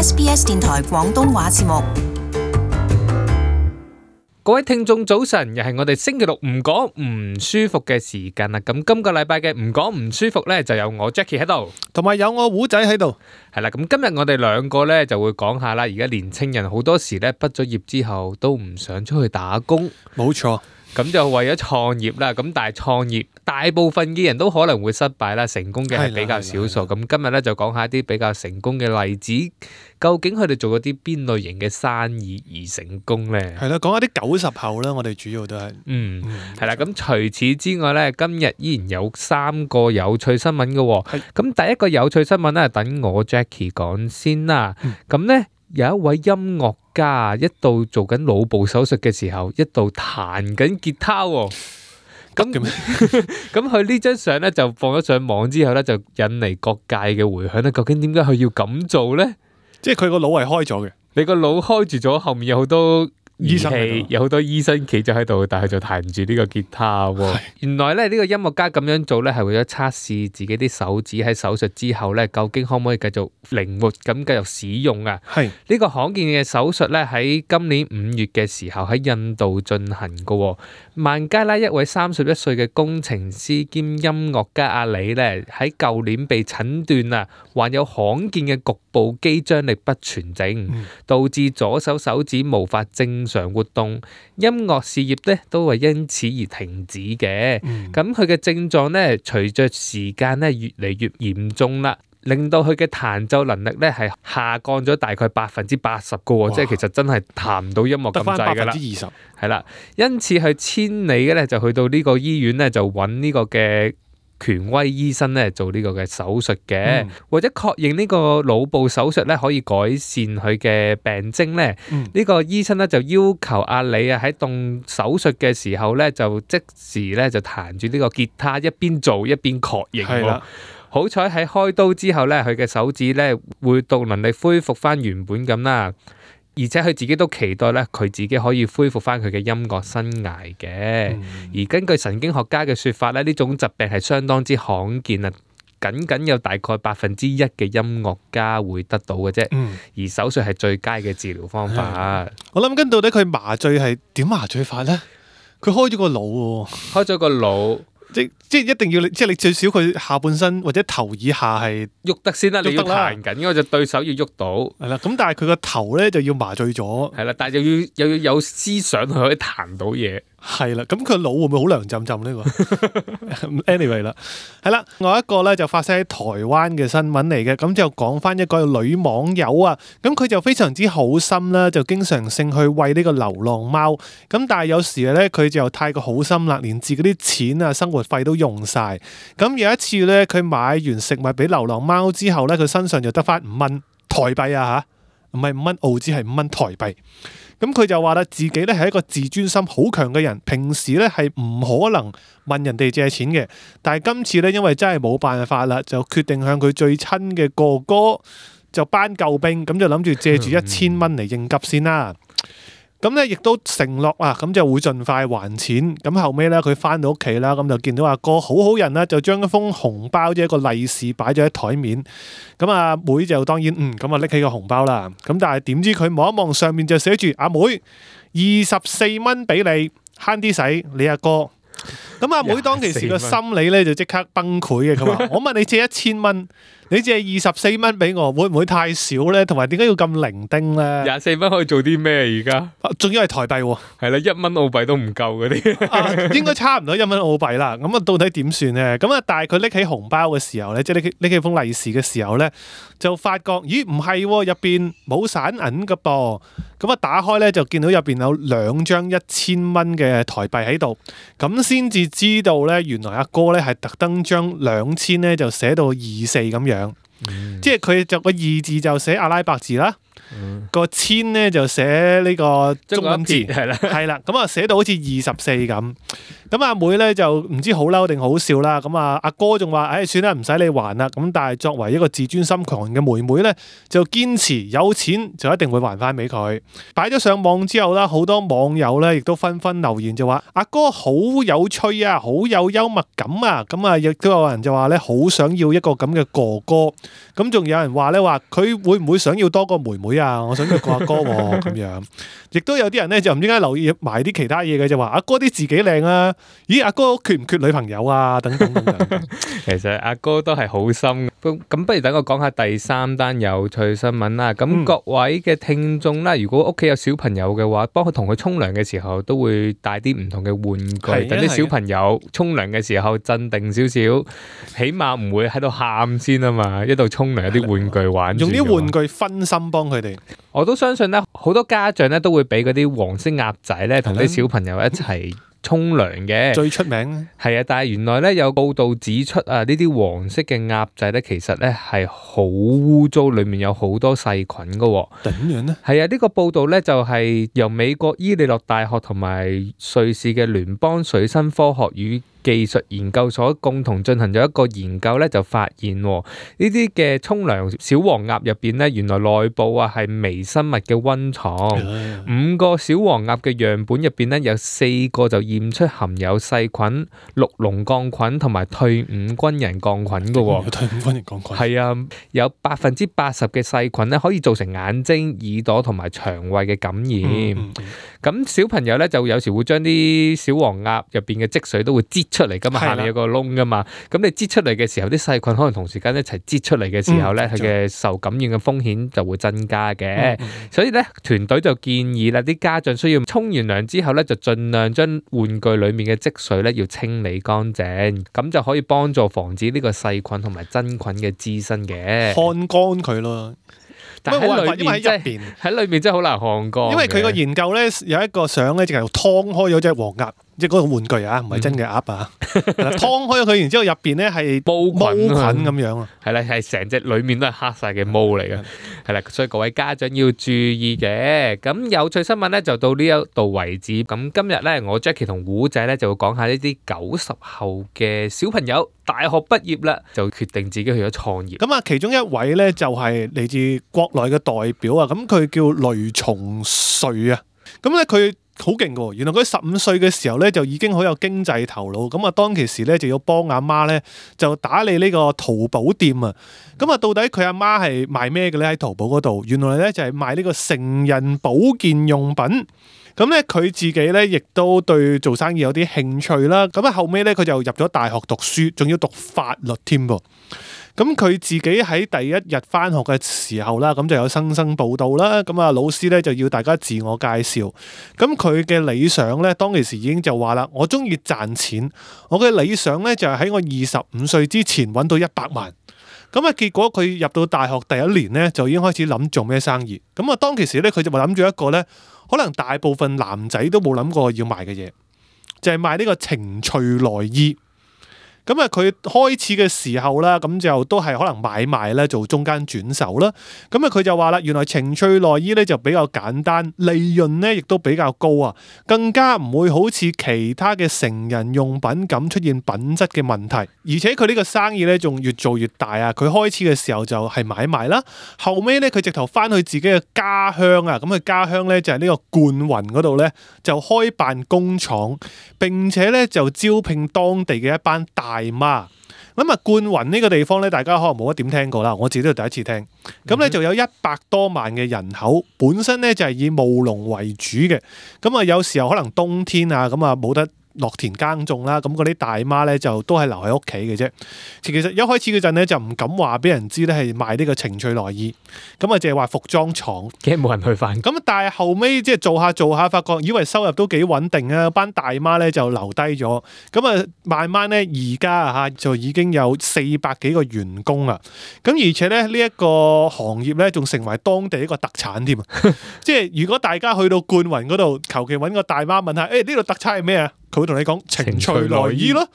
SBS 電台廣東話節目。各位聽眾早晨，又係我哋星期六唔講唔舒服嘅時間啦。咁今個禮拜嘅唔講唔舒服呢，就有我 Jackie 喺度，同埋有我胡仔喺度。係啦，咁今日我哋兩個呢就會講下啦。而家年青人好多時呢，畢咗業之後都唔想出去打工，冇錯。咁就為咗創業啦。咁但係創業大部分嘅人都可能會失敗啦，成功嘅係比較少數。咁今日呢就講下一啲比較成功嘅例子，究竟佢哋做咗啲邊類型嘅生意而成功呢？係啦，講下啲90後啦，我哋主要都係。係啦。咁除此之外呢，今日依然有3個有趣新聞嘅。咁第一個有趣新聞呢，等我 Jackie 講先啦。咁呢，有一位音樂家一度做緊腦部手術嘅時候，一度彈緊吉他喎。咁佢呢張相咧就放咗上網之後咧，就引嚟各界嘅迴響咧。究竟點解佢要咁做咧？即係佢個腦係開咗嘅。你個腦開住咗，後面有好多儀器，醫生有好多醫生企咗喺度，但係就彈唔住呢個吉他喎。原來咧呢個音樂家咁樣做咧，係為咗測試自己啲手指喺手術之後咧，究竟可唔可以繼續靈活咁繼續使用啊？係呢個罕見嘅手術咧，喺今年5月嘅時候喺印度進行嘅。孟加拉一位31歲嘅工程師兼音樂家阿里咧，喺舊年被診斷啊，患有罕見嘅局部肌張力不全症，導致左手手指無法正常活動，音樂事業咧都係因此而停止嘅。咁佢嘅症狀咧，隨着時間咧越嚟越嚴重啦，令到佢嘅彈奏能力咧係下降咗大概80%嘅喎，即係其實真係彈唔到音樂咁滯㗎啦。20%係啦，因此佢千里嘅咧就去到呢個醫院咧，就揾呢個嘅權威醫生咧做呢個嘅手術嘅，或者確認呢個腦部手術咧可以改善佢嘅病徵咧。呢個醫生咧就要求阿里啊喺動手術嘅時候咧就即時咧就彈住呢個吉他，一邊做一邊確認。係啦。好彩喺開刀之後咧，佢嘅手指咧活動能力恢復翻原本咁啦，而且佢自己都期待咧佢自己可以恢復翻佢嘅音樂生涯嘅。而根據神經學家嘅說法咧，呢種疾病係相當之罕見啊，僅有大概1%嘅音樂家會得到嘅啫。而手術係最佳嘅治療方法。我諗緊到底佢麻醉係點麻醉法咧？佢開咗個腦喎，開咗個腦。即係一定要即係你最少佢下半身或者頭以下係喐得先啦，你要彈緊嗰隻對手要喐到。係啦，咁但係佢個頭咧就要麻醉咗。係啦，但係又要有思想佢可以彈到嘢。係啦，咁佢腦會唔會好涼浸浸呢個？Anyway 啦，係啦，另外一個咧就發生喺台灣嘅新聞嚟嘅，咁就講翻一個女網友啊，咁佢就非常之好心啦，就經常性去餵呢個流浪貓，咁但係有時咧佢就太過好心啦，連自己啲錢啊生活費都用晒，咁有一次咧佢買完食物俾流浪貓之後咧，佢身上就得翻5蚊台幣啊吓，唔係5蚊澳紙，係5蚊台幣。咁佢就話啦，自己咧係一個自尊心好強嘅人，平時咧係唔可能問人哋借錢嘅，但係今次咧因為真係冇辦法啦，就決定向佢最親嘅哥哥就搬救兵，咁就諗住借住1000蚊嚟應急先啦。咁咧亦都承諾啊，咁就會盡快還錢。咁後尾咧佢翻到屋企啦，咁就見到阿哥好好人啦，就將一封紅包即係一個利是擺咗喺台面。咁阿妹就當然咁啊拎起個紅包啦。咁但係點知佢望一望上面就寫住阿妹24蚊俾你慳啲使，你阿哥。咁阿妹當其時個心理咧就即刻崩潰嘅。佢話我問你借1000蚊。你借24蚊俾我，會唔會太少咧？同埋點解要咁零丁咧？24蚊可以做啲咩而家？仲要係台幣喎。係啦，1蚊澳幣都唔夠嗰啲。應該差唔多1蚊澳幣啦。咁啊，到底點算咧？咁啊，但係佢拎起紅包嘅時候咧，即係拎起封利是嘅時候咧，就發覺咦唔係喎，入邊冇散銀噶噃。咁啊，打開咧就見到入邊有2張1000蚊嘅台幣喺度，咁先至知道咧，原來阿哥咧係特登將2000咧就寫到24咁樣。即係佢就個2字就寫阿拉伯字啦，個千咧就寫呢個中文字，係啦，係啦，咁啊寫到好似24咁。咁阿妹咧就唔知好嬲定好笑啦。咁啊阿哥仲話：算啦，唔使你還啦。咁但係作為一個自尊心強嘅妹妹咧，就堅持有錢就一定會還翻俾佢。擺咗上網之後啦，好多網友咧亦都紛紛留言就話：阿哥好有趣啊，好有幽默感啊。咁啊亦都有人就話咧，好想要一個咁嘅哥哥。咁仲有人話咧，話佢會唔會想要多個妹妹啊？我想要個阿哥喎，咁樣。亦都有啲人咧就唔知點解留意埋啲其他嘢嘅，就話阿哥啲自己靚啊，咦阿哥缺唔缺女朋友啊？等等等等。其實阿哥都係好心。咁不如等我講下第3單有趣新聞啦。咁各位嘅聽眾啦，如果屋企有小朋友嘅話，幫佢同佢沖涼嘅時候，都會帶啲唔同嘅玩具，等啲小朋友沖涼嘅時候鎮定少少，起碼唔會喺度喊先啊嘛。一度沖涼有啲玩具玩，用啲玩具分心幫佢哋。我都相信咧，好多家長咧都會俾嗰啲黃色鴨仔咧同啲小朋友一齊沖涼嘅。最出名係啊，但係原來咧有報道指出啊，呢啲黃色嘅鴨仔咧其實咧係好污糟，裡面有好多細菌噶。點樣咧？係啊，呢個報道咧就係由美國伊利諾大學同埋瑞士嘅聯邦水生科學與技術研究所共同進行咗一個研究咧，就發現呢啲嘅沖涼小黃鴨入邊咧，原來內部啊係微生物嘅溫床。5個小黃鴨嘅樣本入邊咧，有4個就驗出含有細菌、綠龍桿菌同埋退伍軍人桿菌嘅。退伍軍人桿菌係啊，有80%嘅細菌咧可以造成眼睛、耳朵同埋腸胃嘅感染。咁小朋友咧就有時會將啲小黃鴨入邊嘅積水都會擠出嚟噶嘛，下面有個窿噶嘛，咁你擠出嚟嘅時候，啲細菌可能同時間一齊擠出嚟嘅時候咧，佢嘅受感染嘅風險就會增加嘅。所以咧，團隊就建議啦，啲家長需要沖完涼之後咧，就盡量將玩具裡面嘅積水咧要清理乾淨，咁就可以幫助防止呢個細菌同埋真菌嘅滋生嘅。看乾佢咯。但係喺裏面真係好難看乾。因為佢個研究咧有一個相咧，就係劏開咗隻黃鴨，即係嗰個玩具啊，唔係真嘅鴨啊。劏開咗佢，然之後入邊咧係毛菌咁樣啊。係啦，係成隻裡面都係黑晒嘅毛嚟嘅。係啦，所以各位家長要注意嘅。咁有趣新聞咧就到呢一度為止。咁今日咧，我 Jackie 同胡仔咧就會講下呢啲90後嘅小朋友大學畢業啦，就決定自己去咗創業。咁啊，其中一位咧就係嚟自國內嘅代表啊。咁佢叫雷松瑞啊。咁咧佢好勁㗎，原來佢15歲嘅時候咧就已經好有經濟頭腦，咁啊當其時咧就要幫阿媽咧就打理呢個淘寶店啊，咁啊到底佢阿媽係賣咩嘅咧？喺淘寶嗰度，原來咧就係賣呢個成人保健用品。咁咧佢自己咧亦都對做生意有啲興趣啦，咁啊後尾咧佢就入咗大學讀書，仲要讀法律添噃。咁佢自己喺第一日返學嘅時候啦，咁就有生報到啦。咁啊，老師咧就要大家自我介紹。咁佢嘅理想咧，當其時已經就話啦，我中意賺錢。我嘅理想咧就係喺我25歲之前揾到100萬。咁啊，結果佢入到大學第一年咧，就已經開始諗做咩生意。咁啊，當其時咧，佢就話諗住一個咧，可能大部分男仔都冇諗過要賣嘅嘢，就係賣呢個情趣內衣。咁啊，佢開始嘅時候啦，咁就都係可能買賣咧，做中間轉手啦。咁啊，佢就話啦，原來情趣內衣咧就比較簡單，利潤咧亦都比較高啊，更加唔會好似其他嘅成人用品咁出現品質嘅問題。而且佢呢個生意咧仲越做越大啊！佢開始嘅時候就係買賣啦，後尾咧佢直頭翻去自己嘅家鄉啊，咁佢家鄉咧就係呢個灌雲嗰度咧就開辦工廠，並且咧就招聘當地嘅一班大媽。咁啊，灌雲呢個地方咧，大家可能冇乜點聽過啦，我自己都係第一次聽。咁咧就有100多萬嘅人口，本身咧就係以務農為主嘅。咁啊，有時候可能冬天啊，咁啊冇得落田耕種啦，咁嗰啲大媽咧就都係留喺屋企嘅啫。其實一開始嗰陣咧就唔敢話俾人知咧係賣呢個情趣內衣，咁啊淨係話服裝廠，驚冇人去返。咁但係後尾即係做下，發覺以為收入都幾穩定啊，班大媽咧就留低咗。咁啊慢慢咧而家啊就已經有400幾個員工啦。咁而且咧呢一個行業咧仲成為當地一個特產添啊！即係如果大家去到灌雲嗰度，求其揾個大媽問下，呢度特產係咩啊？佢會同你講情趣內衣咯。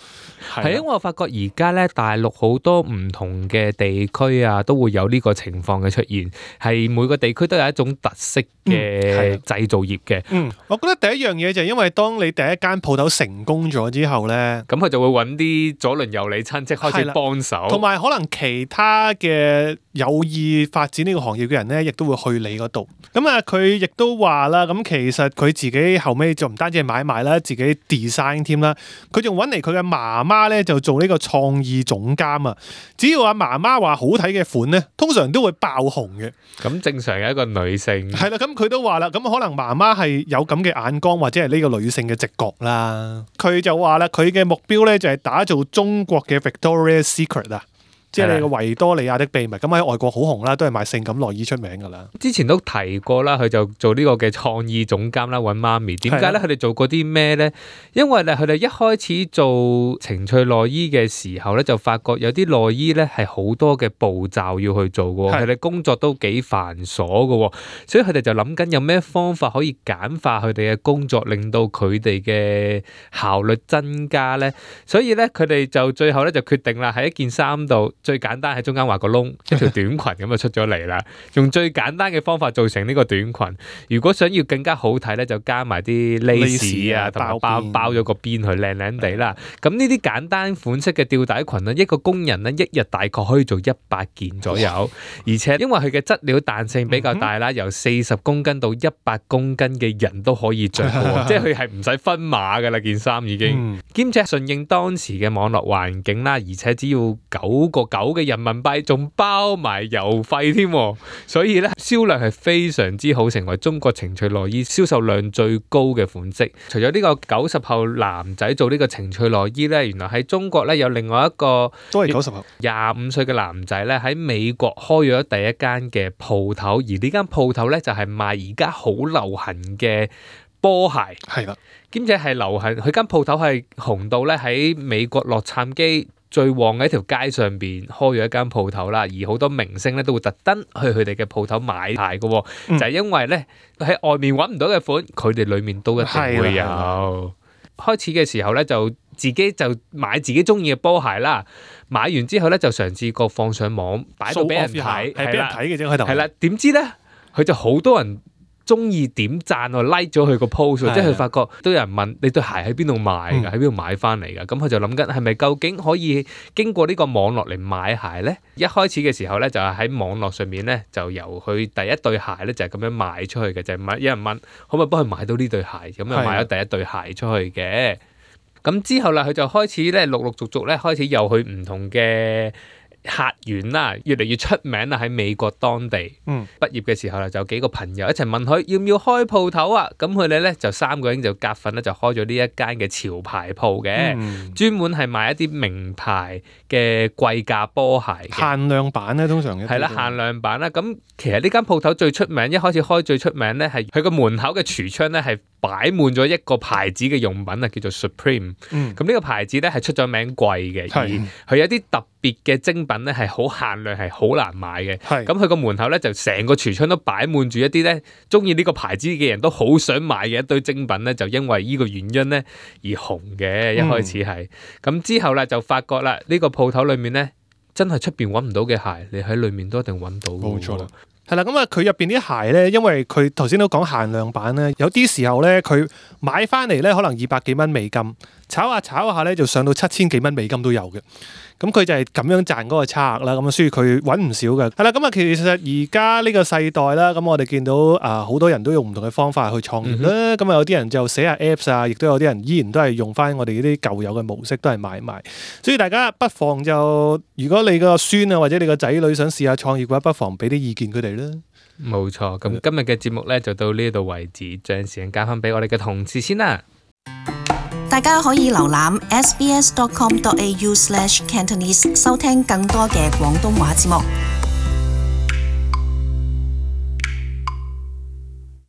係因為我發覺而家咧大陸好多唔同嘅地區啊，都會有呢個情況嘅出現，係每個地區都有一種特色嘅製造業嘅。我覺得第一樣嘢就係因為當你第一間鋪頭成功咗之後咧，咁佢就會揾啲左鄰右里親戚開始幫手，同埋可能其他嘅有意發展呢個行業嘅人咧，亦都會去你嗰度。咁啊，佢亦都話啦，咁其實佢自己後尾就唔單止係買賣啦，自己 design 添啦，佢仲揾嚟佢嘅媽媽咧就做呢個創意總監啊。只要阿媽媽話好睇嘅款咧，通常都會爆紅嘅。咁正常嘅一個女性係啦，咁佢都話啦，咁可能媽媽係有咁嘅眼光，或者係呢個女性嘅直覺啦。佢就話啦，佢嘅目標咧就係打造中國嘅 Victoria's Secret 啊。即係你個維多利亞的秘密，咁喺外國好紅啦，都係賣性感內衣出名噶啦。之前都提過啦，佢就做呢個嘅創意總監啦，揾媽咪。點解咧？佢哋做過啲咩咧？因為咧，佢哋一開始做情趣內衣嘅時候咧，就發覺有啲內衣咧係好多嘅步驟要去做嘅，佢哋工作都幾繁瑣嘅，所以佢哋就諗緊有咩方法可以簡化佢哋嘅工作，令到佢哋嘅效率增加咧。所以咧，佢哋就最後咧就決定啦，喺一件衫度。最簡單喺中間畫個窿，一條短裙咁就出咗嚟啦。用最簡單嘅方法做成呢個短裙。如果想要更加好睇咧，就加埋啲 lace 啊，同埋包咗個邊去靚靚地啦。咁呢啲簡單款式嘅吊帶裙咧，一個工人咧一日大概可以做100件左右。而且因為佢嘅質料彈性比較大啦，由40公斤到100公斤嘅人都可以着嘅，即係佢係唔使分碼㗎啦，件衫已經。兼且順應當時嘅網絡環境啦，而且只要9.9嘅人民幣，仲包埋郵費添，所以咧銷量係非常之好，成為中國情趣內衣銷售量最高嘅款式。除咗呢個90後男仔做呢個情趣內衣咧，原來喺中國咧有另外一個都係90後25歲嘅男仔咧喺美國開咗第一間嘅鋪頭，而呢間鋪頭咧就係賣而家好流行嘅波鞋，係啦，兼且係流行，佢間鋪頭係紅到咧喺美國洛杉磯最旺嘅一條街上邊開咗一間鋪頭啦，而好多明星咧都會特登去佢哋嘅鋪頭買鞋嘅，就係因為咧喺外面揾唔到嘅款，佢哋裏面都一定會有。開始嘅時候咧就自己就買自己中意嘅波鞋啦，買完之後咧就嘗試過放上網擺到俾人睇，係俾人睇嘅啫喺度。係啦，點知咧佢就好多人中意點讚喎 like 咗佢個 post， 即係佢發覺都有人問你對鞋喺邊度買㗎，喺邊度買翻嚟㗎？咁佢就諗緊係咪究竟可以經過呢個網絡嚟買鞋咧？一開始嘅時候咧就係喺網絡上面咧就由佢第一對鞋咧就係咁樣賣出去嘅，就係有人問可唔可以幫佢買到呢對鞋，咁就買咗第一對鞋出去嘅。咁之後啦，佢就開始咧陸陸續續咧開始又去唔同嘅客源啦，越嚟越出名啦喺美國當地。畢業嘅時候啦，就有幾個朋友一齊問佢要唔要開鋪頭啊？咁佢哋咧就3個人就夾份咧，就開咗呢一間嘅潮牌鋪嘅，專門係賣一啲名牌嘅貴價波鞋嘅限量版咧，通常係啦，限量版啦。咁其實呢間鋪頭最出名，一開始開最出名咧係佢個門口嘅櫥窗咧係擺滿咗一個牌子嘅用品啊，叫做 Supreme。咁呢個牌子咧係出咗名貴嘅，而佢有啲特別嘅精品咧係好限量，係好難買嘅。咁佢個門口咧就成個櫥窗都擺滿住一啲咧中意呢個牌子嘅人都好想買嘅一堆精品咧，就因為呢個原因咧而紅嘅。一開始係咁之後咧就發覺啦，呢個鋪頭裏面咧真係出邊揾唔到嘅鞋，你喺裏面都一定揾到。冇錯啦。係啦，咁啊，佢入邊啲鞋咧，因為佢頭先都講限量版咧，有啲時候咧，佢買翻嚟咧，可能200幾蚊美金，炒下咧，就上到7000幾蚊美金都有嘅。咁佢就係咁樣賺嗰個差額啦。咁所以佢揾唔少嘅。係啦，咁啊，其實而家呢個世代啦，咁我哋見到好多人都用唔同嘅方法去創業啦。咁有啲人就寫下 Apps 啊，亦都有啲人依然都係用翻我哋呢啲舊有嘅模式，都係買賣。所以大家不妨就，如果你個孫啊或者你個仔女想試下創業嘅話，不妨俾啲意見佢哋啦。冇錯，咁今日嘅節目咧就到呢度為止，將時間交翻俾我哋嘅同事先啦。大家可以瀏覽 sbs.com.au/cantonese 收聽更多嘅廣東話節目。